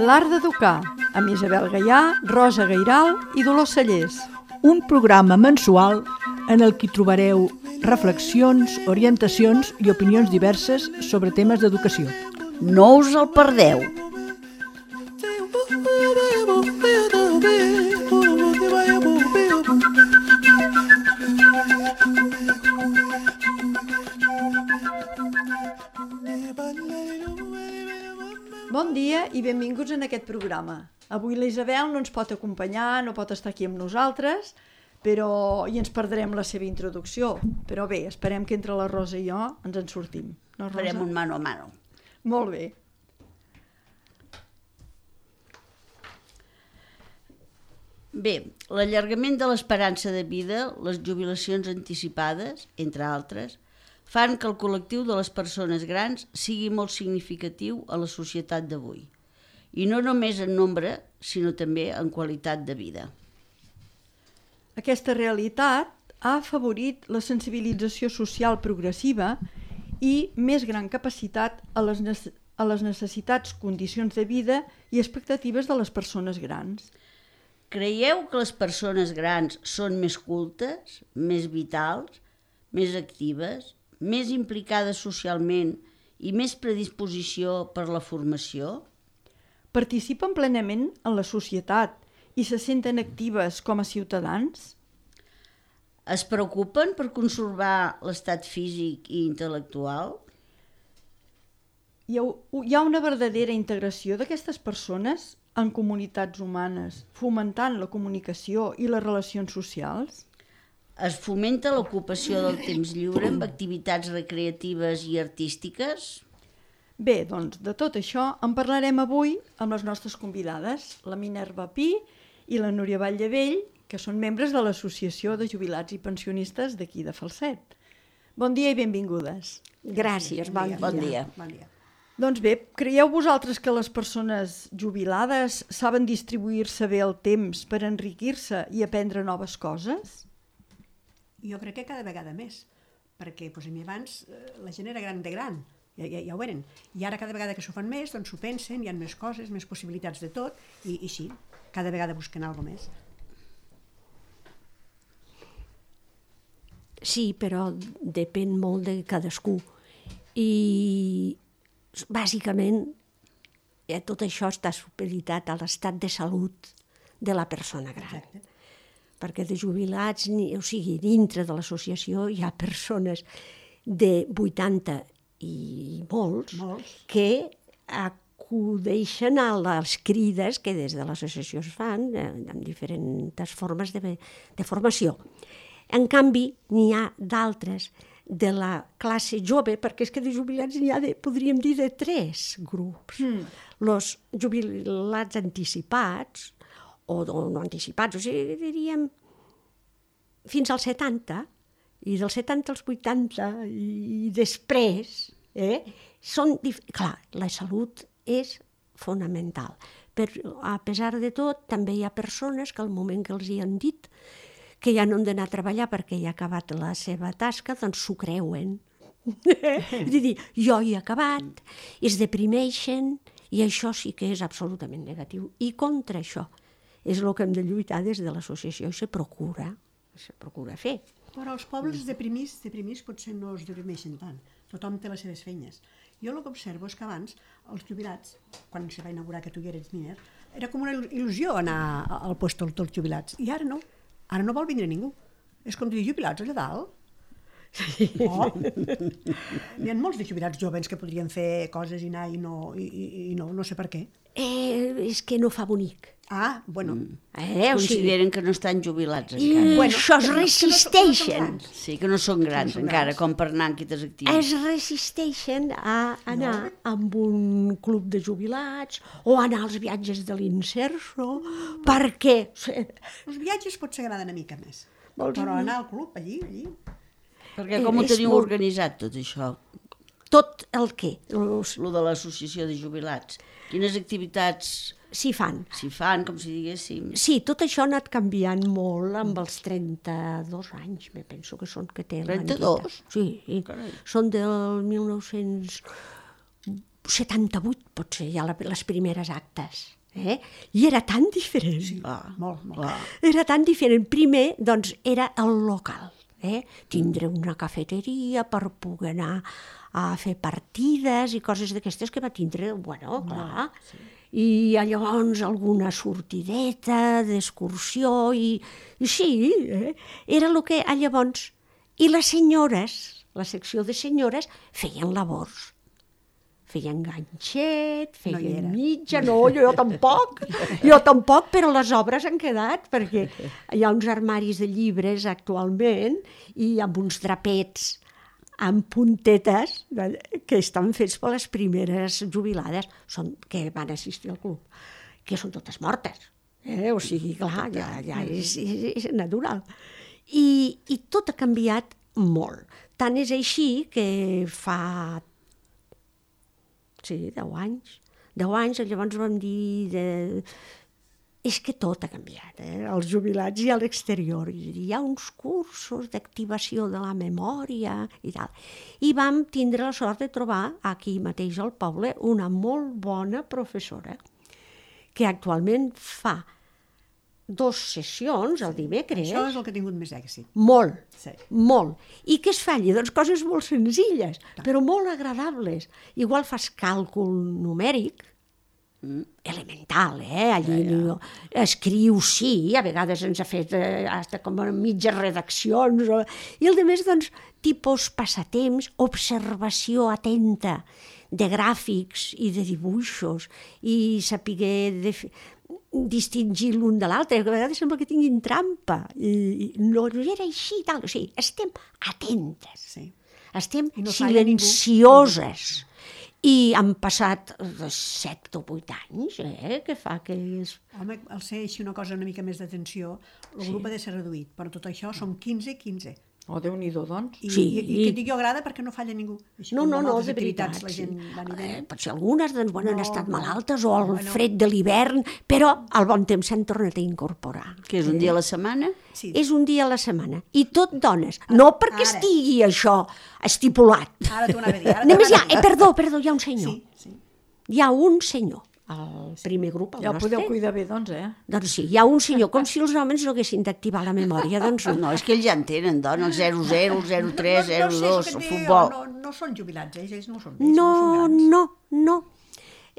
L'art d'educar, amb Isabel Gaià, Rosa Gairal i Dolors Cellers. Un programa mensual en el que trobareu reflexions, orientacions i opinions diverses sobre temes d'educació. No us el perdeu. Bon dia i benvinguts en aquest programa. Avui la Isabel no ens pot acompanyar, no pot estar aquí amb nosaltres, i ens perdrem la seva introducció. Però bé, esperem que entre la Rosa i jo ens en sortim. No, Rosa? Farem un mano a mano. Molt bé. Bé, l'allargament de l'esperança de vida, les jubilacions anticipades, entre altres, fan que el col·lectiu de les persones grans sigui molt significatiu a la societat d'avui. I no només en nombre, sinó també en qualitat de vida. Aquesta realitat ha afavorit la sensibilització social progressiva i més gran capacitat a les necessitats, condicions de vida i expectatives de les persones grans. Creieu que les persones grans són més cultes, més vitals, més actives, més implicades socialment i més predisposició per la formació? Participen plenament en la societat i se senten actives com a ciutadans? Es preocupen per conservar l'estat físic i intel·lectual? Hi ha una verdadera integració d'aquestes persones en comunitats humanes, fomentant la comunicació i les relacions socials? Es fomenta l'ocupació del temps lliure amb activitats recreatives i artístiques? Bé, doncs de tot això en parlarem avui amb les nostres convidades, la Minerva Pi i la Núria Valldevell, que són membres de l'Associació de Jubilats i Pensionistes d'aquí de Falset. Bon dia i benvingudes. Gràcies, bon dia. Bon dia. Doncs bé, creieu vosaltres que les persones jubilades saben distribuir-se bé el temps per enriquir-se i aprendre noves coses? Jo crec que cada vegada més, perquè abans la gent era gran de gran, ja ho eren, i ara cada vegada que s'ho fan més, doncs s'ho pensen, hi ha més coses, més possibilitats de tot, i sí, cada vegada busquen alguna més. Sí, però depèn molt de cadascú. I bàsicament tot això està supeditat a l'estat de salut de la persona gran. Exacte. Perquè de jubilats, dintre de l'associació hi ha persones de 80 i molts que acudeixen a les crides que des de l'associació es fan amb diferents formes de formació. En canvi, n'hi ha d'altres de la classe jove, perquè és que de jubilats n'hi ha, podríem dir, de 3 grups. Els jubilats anticipats, o no anticipats, o sigui, diríem fins als 70, i dels 70 als 80, i després, clar, la salut és fonamental. Però, a pesar de tot, també hi ha persones que al moment que els hi han dit que ja no han d'anar a treballar perquè ja ha acabat la seva tasca, doncs s'ho creuen. És dir, jo hi he acabat, es deprimeixen, i això sí que és absolutament negatiu. I contra això és el que hem de lluitar des de l'associació i se procura fer. Però els pobles deprimits potser no es deprimeixen tant. Tothom té les seves feines. Jo el que observo és que abans els jubilats, quan se va inaugurar que tu hi eres miner, era com una il·lusió anar al lloc dels jubilats. I ara no. Ara no vol vindre ningú. És com dir jubilats allà dalt. Sí. Oh. N'hi ha molts de jubilats joves que podrien fer coses i anar i no sé per què. És que no fa bonic. Ah, bueno. Consideren que no estan jubilats encara. I això es resisteixen. Sí, que no són grans encara, com per anar en quites actives. Es resisteixen a anar amb un club de jubilats o anar als viatges de l'Inserso, perquè... Els viatges potser agraden una mica més, però anar al club allí... Perquè com ho teniu organitzat tot això? tot el què? Lo de l'associació de jubilats. Quines activitats S'hi fan. s'hi fan, com si diguéssim? Sí, tot això ha anat canviant molt amb els 32 anys, me penso que són que té 32? Sí, Carai. són del 1978, potser, ja les primeres actes. I era tan diferent. Sí, Molt, molt. Era tan diferent. Primer, doncs, era el local. Tindre una cafeteria per poder anar a fer partides i coses d'aquestes que va tindre, bueno, clar. I llavors alguna sortideta d'excursió i sí, era el que llavors... I les senyores, la secció de senyores, feien labors. Feien ganxet, feien mitja, no, jo tampoc, però les obres han quedat, perquè hi ha uns armaris de llibres actualment i amb uns drapets amb puntetes que estan fets per les primeres jubilades que van assistir al club, que són totes mortes. O sigui, clar, ja és natural. I tot ha canviat molt. Tant és així que fa 10 anys, llavors vam dir... És que tot ha canviat, els jubilats i a l'exterior. Hi ha uns cursos d'activació de la memòria i tal. I vam tindre la sort de trobar aquí mateix al poble una molt bona professora que actualment fa 2 sessions el dimecres. Això és el que ha tingut més èxit. Molt, Sí. molt. I què es fa allà? Doncs coses molt senzilles, però molt agradables. Igual fas càlcul numèric, elemental, allí escrius, sí, a vegades ens ha fet hasta com mitges redaccions, i el de més, doncs, tipus passatemps, observació atenta de gràfics i de dibuixos, i saber distingir l'un de l'altre, que a vegades sembla que tinguin trampa, i no era així, tal, o sigui, estem atentes, estem silencioses. I han passat 7 o 8 anys, que fa que... Home, al ser així una cosa una mica més d'atenció, el grup ha de ser reduït, però tot això som 15. Oh, Déu-n'hi-do, doncs. I que dic jo agrada perquè no falla ningú. No, de veritat. La gent va venint. Potser algunes doncs, han estat malaltes o el fred de l'hivern, però al bon temps s'han tornat a incorporar. Que és un dia a la setmana? Sí. És un dia a la setmana. I tot dones. No perquè estigui això estipulat. Ara t'ho anava a dir. Només perdó, hi ha un senyor. Sí. Hi ha un senyor. El primer grup, el Ja nostre. podeu cuidar bé, doncs, Doncs sí, hi ha un senyor, com si els homes no haguessin d'activar la memòria, doncs No, és que ells ja en tenen, dona, el 00, el 03, el 02, el futbol. No són jubilats, ells no són. No.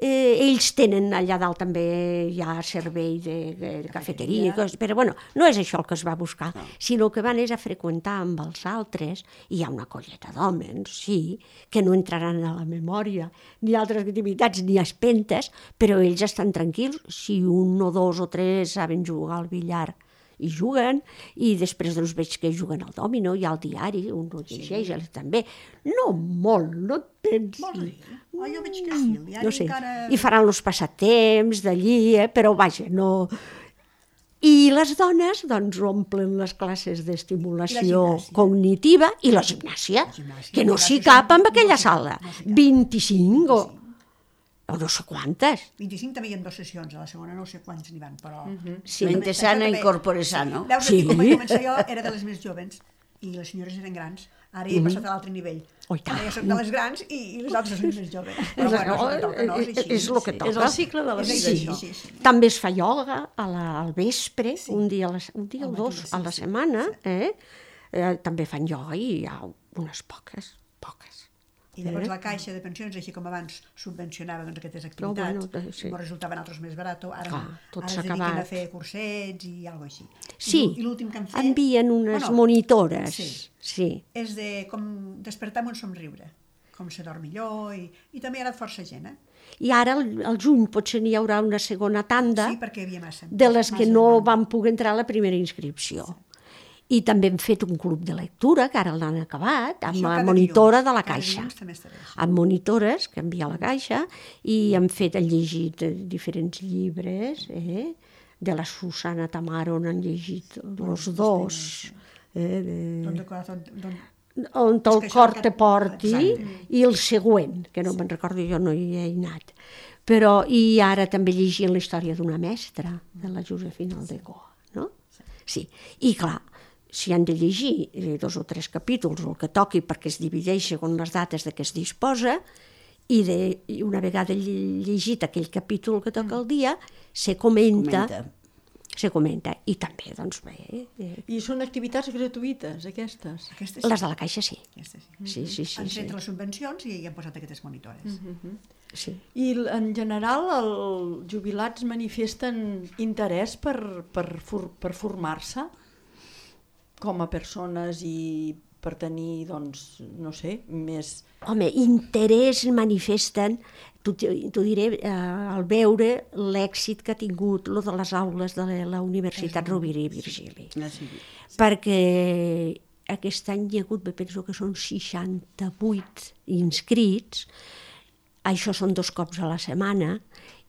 Ells tenen allà dalt també hi ha servei de cafeteria, però bueno, no és això el que es va buscar, sinó que van a freqüentar amb els altres, i hi ha una colleta d'homes, sí, que no entraran a la memòria, ni altres activitats, ni espentes, però ells estan tranquils si 1 o 2 o 3 saben jugar al billar i juguen, i després doncs veig que juguen al dòmino, hi ha el diari, un ho llegeix, també. No molt, no tens... Jo veig que sí, el diari no sé. encara... I faran els passatemps d'allí, però vaja, no... I les dones doncs omplen les classes d'estimulació cognitiva i la gimnàsia, que no s'hi cap amb aquella sala. 25 o no sé quantes. 25 també hi ha 2 sessions, a la segona no sé quants n'hi van, però... Sí. Mente sana, incorpore sano. Veus, quan vaig començar jo era de les més joves i les senyores eren grans. Ara he passat a l'altre nivell. Ara ja soc de les grans i les altres són més joves. Però bueno, és el que toca. És el cicle de la vida. Sí. També es fa ioga al vespre, un dia o 2 a la setmana. També fan ioga i hi ha unes poques. I llavors la caixa de pensions, així com abans subvencionava aquestes activitats, ens resultaven altres més barat, ara es dediquen a fer cursets i alguna cosa així. Sí, I l'últim que han fet... envien unes monitores. Sí. És de com despertar amb un somriure, com se dorm millor, i també hi ha anat força gent, I ara, al juny, potser n'hi haurà una segona tanda perquè hi havia massa. De les que no van poder entrar a la primera inscripció. I també hem fet un club de lectura, que ara l'han acabat, amb la monitora de la Caixa. Amb monitores que envia a la Caixa, i han llegit diferents llibres, de la Susana Tamaro n'han llegit els 2. on el que això cor que- te porti, Exacte. i el següent, que no me'n recordo, jo no hi he anat. Però, i ara també llegint la història d'una mestra, de la Josefina Aldecoa, no? Sí, i clar, si han de llegir 2 o 3 capítols, o el que toqui, perquè es divideix segons les dates de què es disposa, i una vegada llegit aquell capítol que toca el dia, se comenta, i també, doncs bé, I són activitats gratuïtes, aquestes? Aquestes les de la Caixa sí. Aquestes sí. Sí. Han tret les subvencions i hi han posat aquestes monitores. Sí. I en general els jubilats manifesten interès per formar-se com a persones i per tenir, doncs, no sé, més... Home, interès manifesten, t'ho diré, al veure l'èxit que ha tingut lo de les aules de la Universitat Rovira i Virgili. Perquè aquest any hi ha hagut, penso que són 68 inscrits, això són 2 cops a la setmana,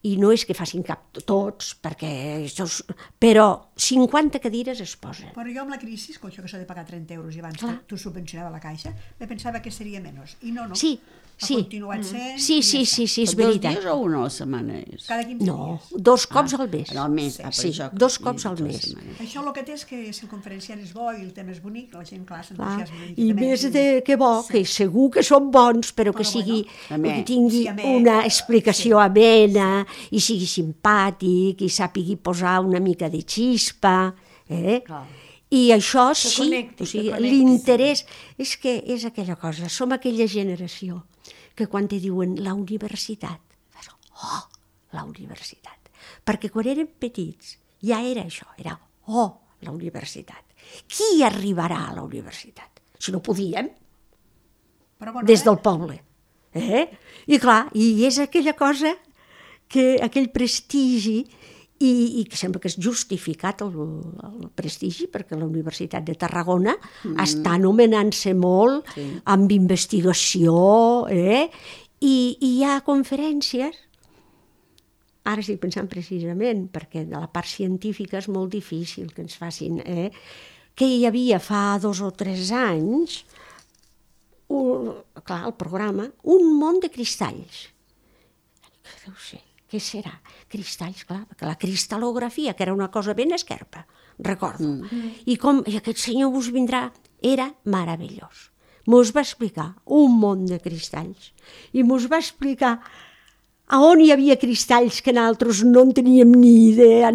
i no és que facin cap tots, però 50 cadires es posen. Però jo amb la crisi, com això que s'ha de pagar 30 euros i abans Clar. tu subvencionava la Caixa, me pensava que seria menys. I no. Sí. Ha continuat sent. Sí, és veritat. 2 dies o una a la setmana és? Cada 15 No, dies. 2 cops al mes. Al mes, per Sí, això. 2 cops al mes. Això el que té és que si el conferenciant és bo i el tema és bonic, la gent, clar, Clar. s'entusiasma. I més que bo, que segur que són bons, però que sigui, bueno, que tingui sí, amè, una explicació amena, i sigui simpàtic, i sàpigui posar una mica de xispa, I això Que sí, connecti, o sigui, que connecti. l'interès és que és aquella cosa, som aquella generació que quan te diuen la universitat, fas, oh, la universitat. Perquè quan érem petits ja era això, era, oh, la universitat. Qui arribarà a la universitat? Si no podíem, Però bueno, des del poble. I clar, i és aquella cosa, aquell prestigi, i que sembla que és justificat el prestigi, perquè la Universitat de Tarragona està anomenant-se molt amb investigació, i hi ha conferències, ara estic pensant precisament, perquè de la part científica és molt difícil que ens facin, que hi havia fa 2 o 3 anys, clar, el programa, un món de cristalls. Deu ser, què serà? Cristalls, clar, perquè la cristal·lografia, que era una cosa ben esquerpa, recordo. I aquest senyor us vindrà, era meravellós. Mos va explicar un món de cristalls i mos va explicar a on hi havia cristalls que nosaltres no en teníem ni idea.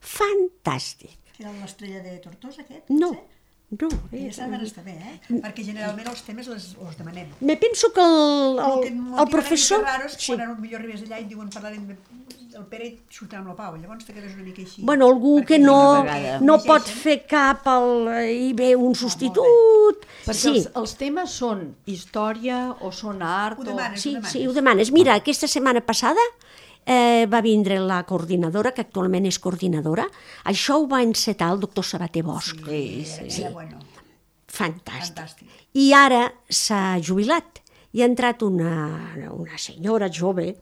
Fantàstic. Era l'estrella de Tortosa, aquest? No. Aquesta van estar bé, perquè generalment els temes els demanem. Me penso que el professor... Raros, quan millor arribes allà i diuen parlarem del Pere i surten amb la Pau, llavors te quedes una mica així. Bueno, algú que no pot fer cap i ve un substitut. Perquè els temes són història o són art? Ho demanes, Sí, ho demanes. Mira, aquesta setmana passada va vindre la coordinadora, que actualment és coordinadora. Això ho va encetar el doctor Sabater Bosch. Sí. Bueno. Fantàstic. I ara s'ha jubilat. I ha entrat una senyora jove,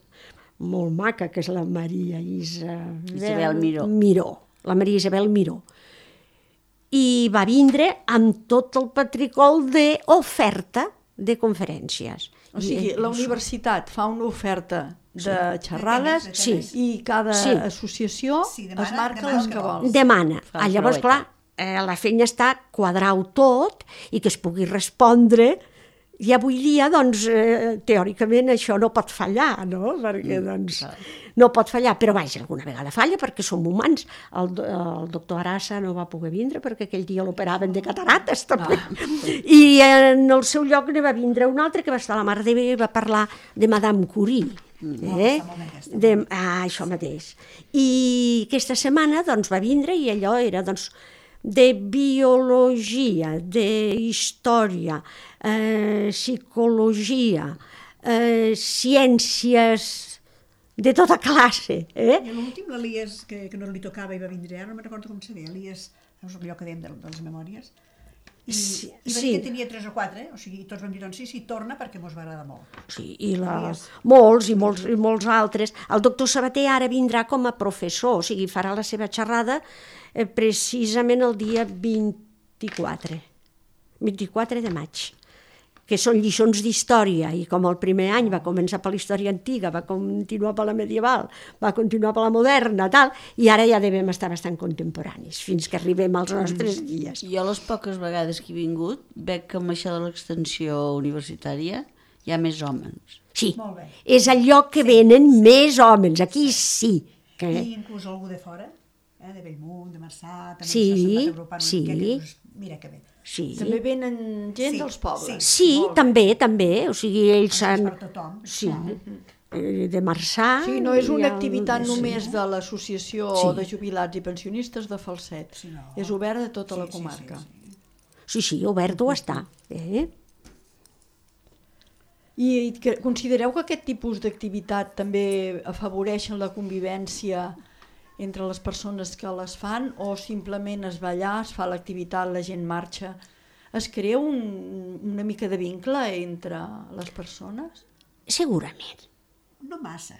molt maca, que és la Maria Isabel Miró. La Maria Isabel Miró. I va vindre amb tot el patricol d'oferta de conferències. O sigui, la universitat fa una oferta de xerrades i cada associació es marca les que vol. Demana. Llavors, clar, la feina està quadrar-ho tot i que es pugui respondre. I avui dia, doncs, teòricament això no pot fallar, no? Perquè, doncs, no pot fallar, però vaja, alguna vegada falla perquè som humans. El doctor Arassa no va poder vindre perquè aquell dia l'operaven de catarates, també. I en el seu lloc ne va vindre un altre que va estar a la Mar de Bé i va parlar de Madame Curie. Això mateix. I aquesta setmana, doncs, va vindre i allò era, doncs, de biologia, d'història, psicologia, ciències de tota classe. I l'últim, l'Elies, que no li tocava i va vindre ara, no me'n recordo com se deia, Elies, és allò que dèiem de les memòries, i va dir que tenia 3 o 4, o sigui, tots vam dir, doncs sí, torna perquè mos va agradar molt. Sí, i molts altres. El doctor Sabater ara vindrà com a professor, o sigui, farà la seva xerrada precisament el dia 24 de maig. que són lliçons d'història, i com el primer any va començar per la història antiga, va continuar per la medieval, va continuar per la moderna, tal, i ara ja devem estar bastant contemporanis, fins que arribem als nostres dies. Jo les poques vegades que he vingut veig que amb això de l'extensió universitària hi ha més homes. Sí, Molt bé. és el lloc que venen més homes, aquí sí. Que... I inclús algú de fora, de Bellmunt, de Marçà, també Sí, s'ha sentat agrupant sí. una miqueta i dius, mira que bé. Sí, També venen gent Sí, dels pobles. sí, també, o sigui, ells És s'han... per tothom. Sí, clar. de Marçà... Sí, no és hi una ha- activitat sí. només de l'Associació Sí. de Jubilats i Pensionistes de Falset. Sí, no. És obert a tota la Sí, sí, comarca. sí. Sí, obert ho està. I considereu que aquest tipus d'activitat també afavoreixen la convivència entre les persones que les fan, o simplement es va allà, es fa l'activitat, la gent marxa? Es crea una mica de vincle entre les persones? Segurament. No massa.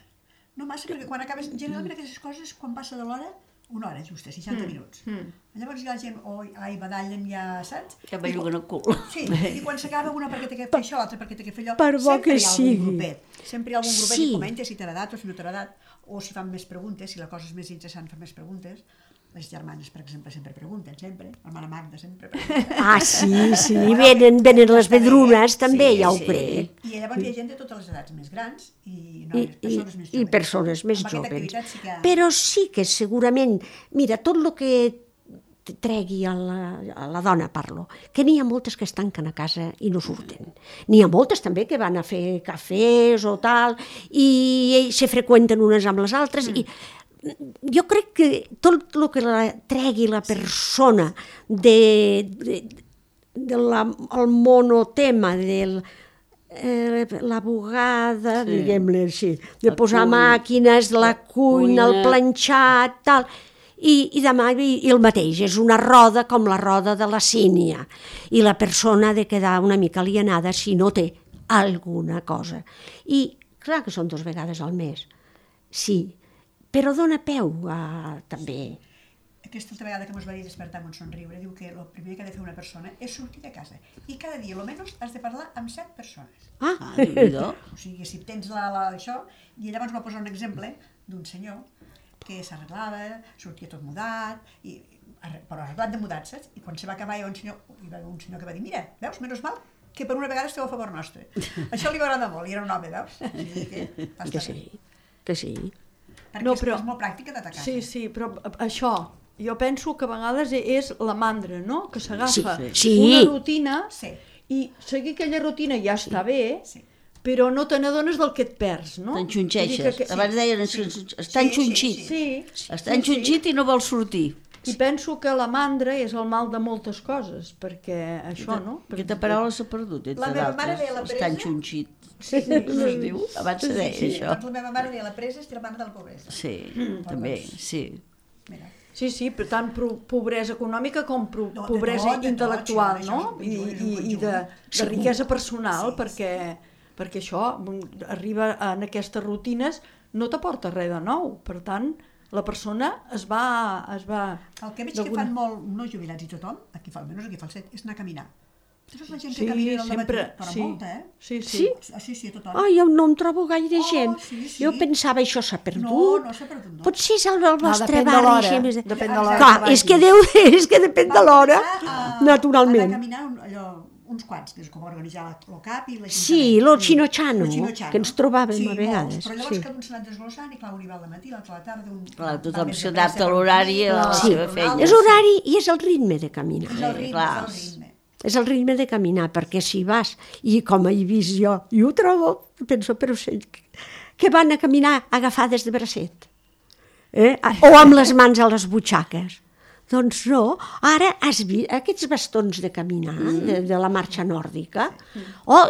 No massa, perquè quan acabes... Generalment aquestes coses, quan passa de l'hora, una hora justa, 60 minuts. Llavors ja la gent, badallen ja, saps? Que belluguen el cul. Sí, i quan s'acaba una perquè té que fer això, l'altra perquè té que fer allò, Per bo sempre que hi ha sigui. algun grupet. Sempre hi ha algun grupet Sí. que comenta si t'ha agradat o si no t'ha agradat, o si fan més preguntes, si la cosa és més interessant fan més preguntes. Les germanes, per exemple, sempre pregunten, sempre. La mare Magda sempre pregunta. Ah, sí, venen les vedrunes, també, Sí, ja ho sí. crec. I llavors hi ha gent de totes les edats més grans i persones més joves. I persones més Amb aquesta joves. activitat sí que... Però sí que segurament, mira, tot el que tregui a la dona, parlo, que n'hi ha moltes que es tanquen a casa i no surten. N'hi ha moltes també que van a fer cafès o tal, i se freqüenten unes amb les altres, i jo crec que tot el que tregui la persona del monotema, la bugada, diguem-ne així, de posar màquines, la cuina, el planxat, tal, i demà i el mateix, és una roda com la roda de la sínia, i la persona ha de quedar una mica alienada si no té alguna cosa. I clar que són 2 vegades al mes, sí, però dona peu a també. Aquesta altra vegada que mos va dir despertar amb un somriure, diu que el primer que ha de fer una persona és sortir de casa. I cada dia, almenys, has de parlar amb 7 persones. Ah, Déu-n'hi-do. O sigui, si tens això... I llavors va posar un exemple d'un senyor que s'arreglava, sortia tot mudat, però arreglat de mudat, saps? I quan se va acabar hi va haver un senyor que va dir, mira, veus, menys mal que per una vegada esteu a favor nostre. Això li va agradar molt, i era un home, veus? Que sí. Perquè No, és molt pràctica d'atacar. Sí, però això, jo penso que a vegades és la mandra, no?, que s'agafa Sí. una rutina Sí. i seguir aquella rutina ja està bé, Sí. però no te n'adones del que et perds, no? T'enxunxeixes. Abans deien, està enxunxit. Sí. Està enxunxit i no vol sortir. I penso que la mandra és el mal de moltes coses, perquè això, no? Aquesta paraula s'ha perdut, entre La meva mare d'altres. deia la Està presa. enxunxit. Sí. No es diu? Abans se deia això. Doncs la meva mare deia la presa és germana de la pobresa. Sí, també, sí. Mira. Sí, per tant, pobresa econòmica com No, pobresa de tot, intel·lectual, sí, no? això és un conjunt, I de riquesa personal, perquè això, arriba en aquestes rutines, no t'aporta res de nou. Per tant, la persona es va... El que veig que fan molt, no jubilats i tothom, almenys aquí a Falset, és anar a caminar. Tota la gent que camina al sempre, dematí, però molta, Sí. Sí? Sí, a tothom. Ai, jo no em trobo gaire gent. sí. Jo pensava, això s'ha perdut. No s'ha perdut, no. Potser és el vostre depèn de barri. l'hora, així més- depèn de l'hora Clar, que és que, vagis. és que depèn de l'hora, naturalment. Anar a caminar uns quants, des que va organitzar l'OCAP i la gent. Sí, lo Chinochano, Lo Chinochano. que ens trobàvem sí, a vegades. Molts, però llavors Sí. cada un s'ha anat desglossant i clar, un hi va al matí, l'altre a la tarda, un... Clar, va tothom més de s'adapta pressa a per l'horari i a la dormir, seva feina. És horari i és el ritme de caminar. És el ritme, clar. és el ritme. És el ritme de caminar, perquè si vas, i com he vist jo, i ho trobo, penso, però sí, que van a caminar agafades de bracet, o amb les mans a les butxaques. Doncs no, ara has vist aquests bastons de caminar, de la marxa nòrdica,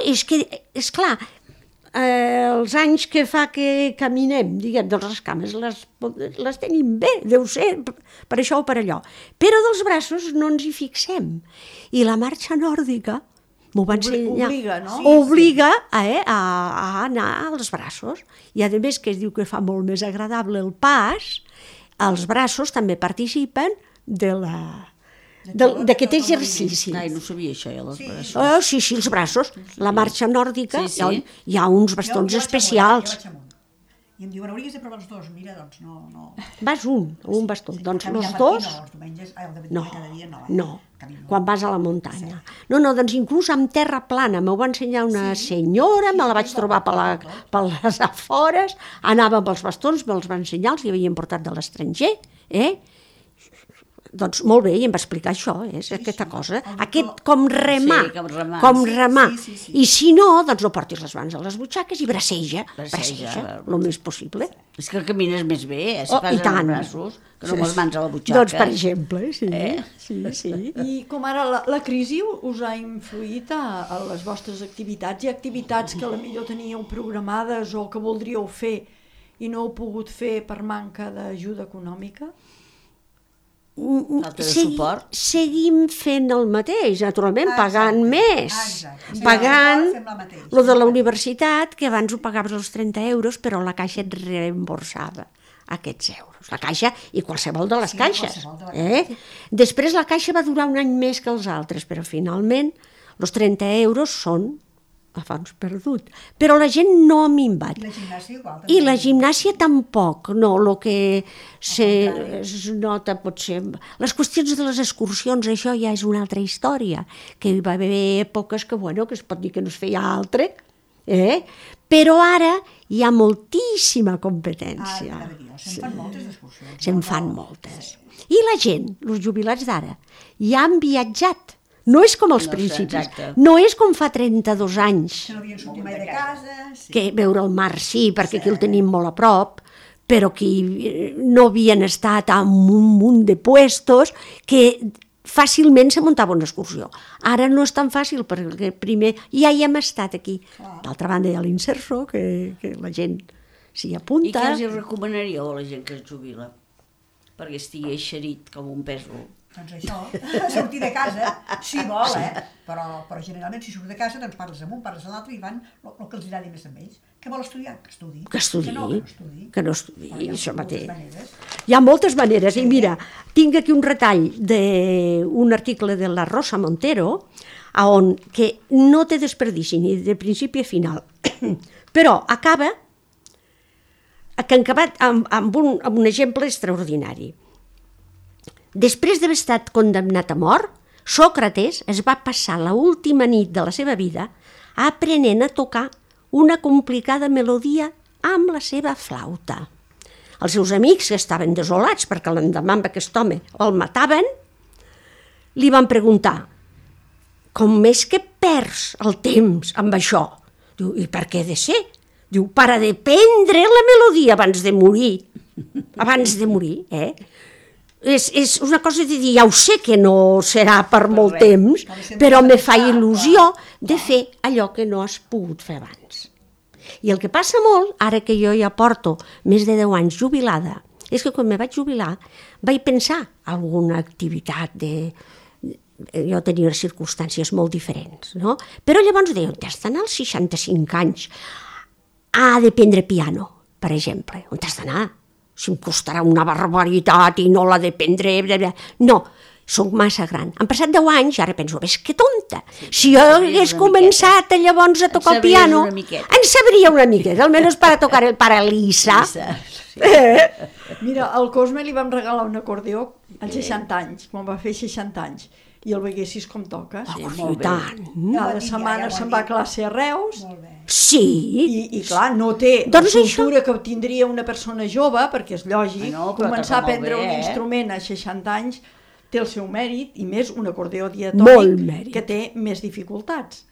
és que, esclar, els anys que fa que caminem, diguem, doncs les cames les tenim bé, deu ser per això o per allò, però dels braços no ens hi fixem. I la marxa nòrdica m'ho va ensenyar. Obliga, no? Obliga a anar als braços. I a més que es diu que fa molt més agradable el pas, els braços també participen de d'aquest exercici. Ai, no sabia això, ja, les braços. Sí, els braços. La marxa nòrdica, Sí, sí. hi ha uns bastons especials. I em diuen, hauries de provar els dos. Mira, doncs no. Vas un bastó. Doncs Caminar els per aquí dos... no, els diumenges, No, cada dia no. no, quan vas a la muntanya. No, doncs inclús amb terra plana. M'ho va ensenyar una senyora, me la vaig trobar per les afores, anava amb els bastons, me'ls va ensenyar, els hi havien portat de l'estranger, Doncs molt bé, i em va explicar això, aquesta cosa. Aquest com remar. Sí, com remar. Sí. I si no, doncs no portis les mans a les butxaques i braceja el més possible. És que camines més bé, si Oh, fas i tant. els braços, que no amb les mans a la butxaca. Doncs, per exemple, sí. I com ara la crisi us ha influït a les vostres activitats? Hi ha activitats que potser teníeu programades o que voldríeu fer i no heu pogut fer per manca d'ajuda econòmica? Falta de suport. Seguim fent el mateix, naturalment, pagant més. Exacte. Pagant Fem la mateixa. lo de la universitat, que abans ho pagaves els 30 euros, però la Caixa et reemborsava aquests euros. La Caixa i qualsevol de les caixes. qualsevol de les Després la Caixa va durar un any més que els altres, però finalment els 30 euros són a fons perdut. Però la gent no ha minvat. I la gimnàsia igual. I la gimnàsia tampoc, no, el que es nota potser... Les qüestions de les excursions, això ja és una altra història, que hi va haver èpoques que, que es pot dir que no es feia altre, però ara hi ha moltíssima competència. Se'n fan moltes excursions. Se'n fan moltes. I la gent, els jubilats d'ara, ja han viatjat. No és com als principis, no és com fa 32 anys. Que no havien sortit mai de casa. Sí. Que veure el mar sí, perquè aquí el tenim molt a prop, però que no havien estat en un munt de puestos que fàcilment se muntava una excursió. Ara no és tan fàcil, perquè primer ja hi hem estat aquí. D'altra banda hi ha l'Inserso, que la gent s'hi apunta. I què els recomanaríeu a la gent que es jubila? Perquè estigui eixerit com un pèsol. Doncs això, sortir de casa, si vol, però generalment si surt de casa doncs parles amb un, parles amb l'altre i van el que els agradi més amb ells. Què vol estudiar? Que estudi. Que no estudi, això mateix. Hi ha moltes maneres, i mira, tinc aquí un retall d'un article de la Rosa Montero, on que no té desperdici ni de principi a final, però acaba amb un exemple extraordinari. Després d'haver estat condemnat a mort, Sòcrates es va passar l'última nit de la seva vida aprenent a tocar una complicada melodia amb la seva flauta. Els seus amics, que estaven desolats perquè l'endemà amb aquest home el mataven, li van preguntar: com és que perds el temps amb això? Diu, i per què ha de ser? Diu, per aprendre la melodia abans de morir. Abans de morir, És una cosa de dir, ja ho sé que no serà per molt temps, però me fa il·lusió de fer allò que no has pogut fer abans. I el que passa molt, ara que jo ja porto més de 10 anys jubilada, és que quan me vaig jubilar vaig pensar alguna activitat jo tenia unes circumstàncies molt diferents, no? Però llavors deia, on has d'anar als 65 anys a aprendre piano, per exemple? On has d'anar? Si em costarà una barbaritat i no la d'aprendre... No, soc massa gran. Han passat 10 anys, ara penso, ves que tonta. Si jo hagués començat llavors a tocar el piano, en sabria una miqueta, almenys per a tocar el Paralisa. Mira, al Cosme li vam regalar un acordeó als 60 anys, quan va fer 60 anys, i el veiessis com toques. I tant. Cada setmana se'n va a classe a Reus. Sí. I clar, no té la cultura que tindria una persona jove, perquè és lògic, començar a aprendre un instrument a 60 anys té el seu mèrit, i més un acordeó diatònic que té més dificultats.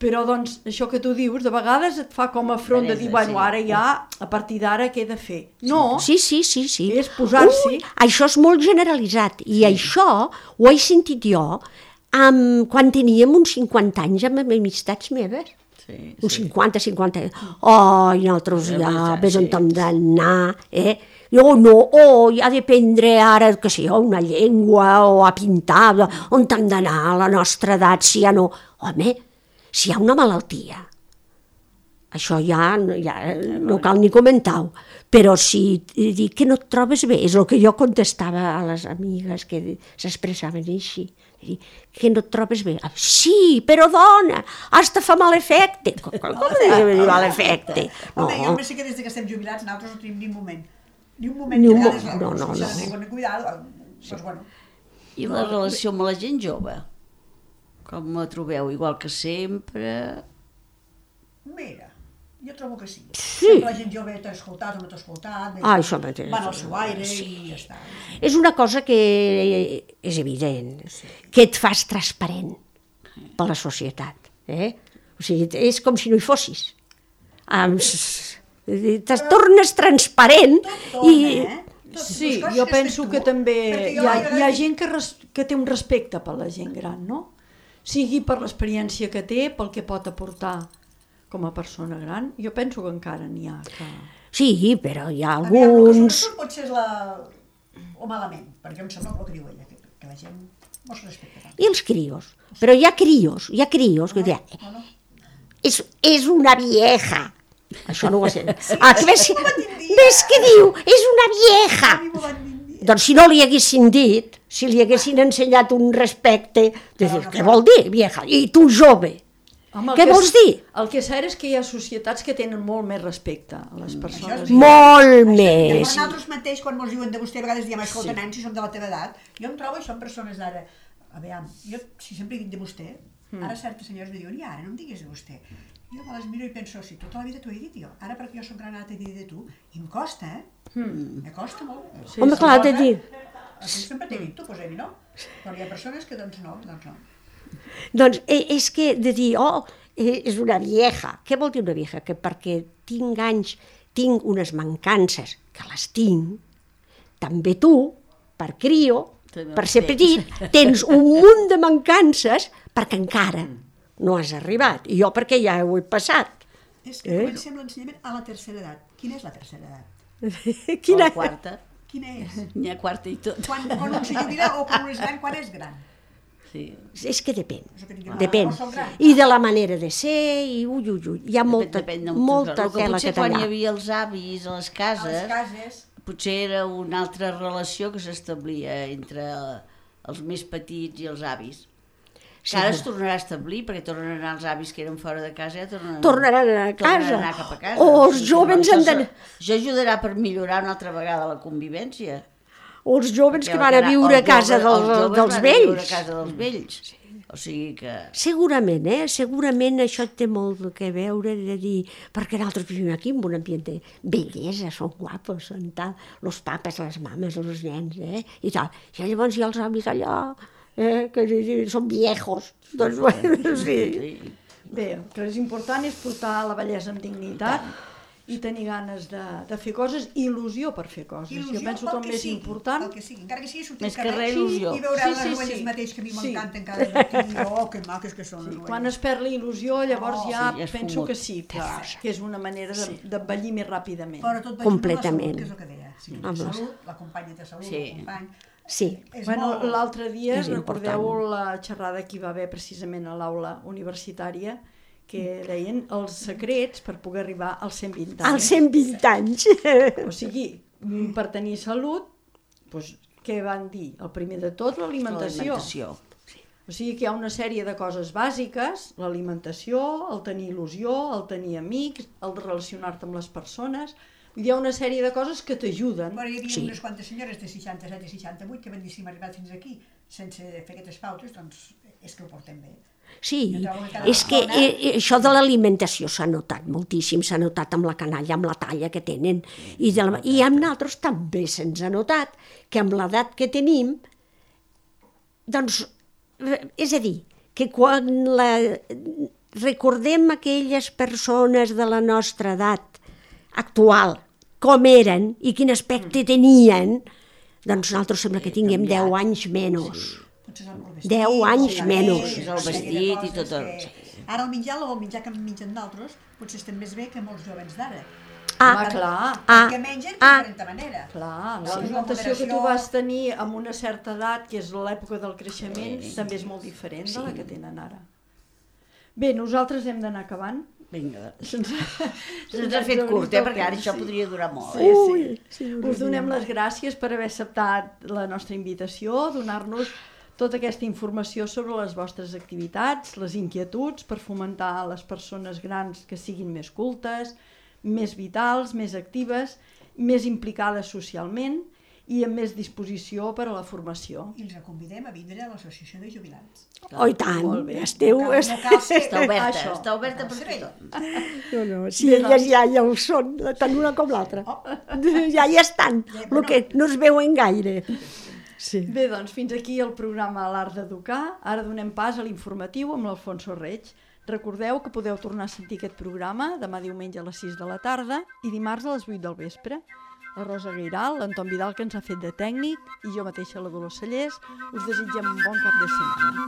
Però, doncs, això que tu dius, de vegades et fa com a front de dir, bueno, ara ja, a partir d'ara, què he de fer? No, sí. És posar-s'hi. Això és molt generalitzat, i això ho he sentit jo quan teníem uns 50 anys amb amistats meves. Uns 50. Ai, nosaltres ja, ves on hem d'anar, Jo no, hi ha d'aprendre ara, que sé, una llengua, o a pintar, on hem d'anar a la nostra edat, si ja no... Home, si hi ha una malaltia, això ja no cal ni comentar-ho. Però si dic que no et trobes bé, és el que jo contestava a les amigues que s'expressaven així. Que no et trobes bé. Sí, però dona, hasta fa mal efecte. Com mal efecte? Home, jo només sé que des que estem jubilats nosaltres no tenim ni un moment. Ni un moment. No. Doncs bueno. I la relació amb la gent jove? Com la trobeu? Igual que sempre? Mira, jo trobo que sí. Sempre la gent jove t'ha escoltat o no t'ha escoltat, això mateix. Van al seu aire i ja està. És una cosa que és evident, que et fas transparent per la societat. O sigui, és com si no hi fossis. Te tornes transparent i... Sí, jo penso que també hi ha gent que té un respecte per la gent gran, no? Sigui per l'experiència que té, pel que pot aportar com a persona gran, jo penso que encara n'hi ha que... Sí, però hi ha alguns... Sobretot potser és o malament, perquè em sembla el que diu ella, que la gent mos respecta tant. I els crios? Però hi ha crios que diuen... És una vieja. Això no ho sé. Ves que diu? És una vieja. Doncs si no li haguessin dit, si li haguessin ensenyat un respecte, de dir, què vol dir, vieja? I tu, jove? Què vols dir? El que és cert és que hi ha societats que tenen molt més respecte a les persones. Molt més. Nosaltres mateix, quan ens diuen de vostè, a vegades diem, escolta, nen, si som de la teva edat, jo em trobo això en persones d'ara. A veure, jo si sempre dic de vostè, ara certes senyors me diuen, i ara no em diguis de vostè. Jo me les miro i penso, si tota la vida t'ho he dit jo, ara perquè jo soc gran ara t'he dit de tu, i em costa, me costa molt. Home, clar, t'he dit. Sempre t'he dit tu, doncs no? Però hi ha persones que doncs no. Doncs és que de dir, és una vieja. Què vol dir una vieja? Que perquè tinc anys, tinc unes mancances, que les tinc, també tu, per crio, per ser petit, tens un munt de mancances perquè encara no has arribat. I jo perquè ja ho he passat. És que comencem l'ensenyament a la tercera edat. Quina és la tercera edat? Quina? La quarta. Quina és? N'hi ha quarta i tot. Quan un se jubila o quan un és gran, quan és gran? Sí. És que depèn. Depèn. I de la manera de ser, i hi ha molta tela que tallar. tallar. Quan hi havia els avis a les cases, potser era una altra relació que s'establia entre els més petits i els avis. Que ara es tornarà a establir, perquè tornen a anar els avis que eren fora de casa, ja tornaran a casa. Anar cap a casa. O els jóvens han d'anar... Això ajudarà per millorar una altra vegada la convivència. O els jóvens que van a viure a casa dels vells. A casa dels vells. O sigui que... Segurament això té molt que veure de dir, perquè nosaltres vivim aquí en un ambient de bellesa, són guapos, són tal, els papes, les mames, els nens, i tal. I llavors hi ha els avis allà... que són viejos. Doncs bueno, sí. Bé, el que és important és portar la bellesa amb dignitat i tenir ganes de fer coses, il·lusió per fer coses. Jo penso que el més important... El que sigui, encara que sigui sortir al carrer il·lusió. I veure les noies mateix que a mi m'encanten cada matí, que maques que són les noies. Quan es perd la il·lusió, llavors ja penso que sí, que és una manera d'envellir més ràpidament. Però tot completament. Que és el que deia. Salut, la companya té salut, el company... Sí. Bueno, l'altre dia, recordeu la xerrada que hi va haver precisament a l'aula universitària, que deien els secrets per poder arribar als 120 anys. Als 120 anys. O sigui, per tenir salut, doncs, què van dir? El primer de tot, l'alimentació. O sigui que hi ha una sèrie de coses bàsiques, l'alimentació, el tenir il·lusió, el tenir amics, el de relacionar-te amb les persones... Hi ha una sèrie de coses que t'ajuden. Però hi havia unes quantes senyores de 67 i 68 que van dir si hem arribat fins aquí sense fer aquestes pautes, doncs és que ho portem bé. Sí, és que això de l'alimentació s'ha notat moltíssim, s'ha notat amb la canalla, amb la talla que tenen, i amb nosaltres també se'ns ha notat que amb l'edat que tenim, doncs, és a dir, que quan recordem aquelles persones de la nostra edat actual, com eren i quin aspecte tenien, doncs nosaltres sembla que tinguem 10 anys menys. 10 anys menys. El vestit i tot el... Ara el menjar que mengen d'altres potser estem més bé que molts jovens d'ara. Clar. Que mengen de diferent manera. Clar, l'alimentació que tu vas tenir amb una certa edat, que és l'època del creixement, també és molt diferent de la que tenen ara. Bé, nosaltres hem d'anar acabant. Vinga, se'ns ha fet curt, perquè ara això podria durar molt. Sí. Us donem les gràcies per haver acceptat la nostra invitació, donar-nos tota aquesta informació sobre les vostres activitats, les inquietuds, per fomentar les persones grans que siguin més cultes, més vitals, més actives, més implicades socialment i amb més disposició per a la formació. I els convidem a vindre a l'associació de jubilats. Oh, i tant, esteu... No cal ser... Està oberta per tothom. No, si elles ja ho són, tant una com l'altra. Ja hi estan, el que no es veuen gaire. Sí. Bé, doncs fins aquí el programa L'Art d'Educar. Ara donem pas a l'informatiu amb l'Alfonso Reig. Recordeu que podeu tornar a sentir aquest programa demà diumenge a les 6 de la tarda i dimarts a les 8 del vespre. La Rosa Guiral, l'Anton Vidal, que ens ha fet de tècnic, i jo mateixa, la Dolors Cellers, us desitgem un bon cap de setmana.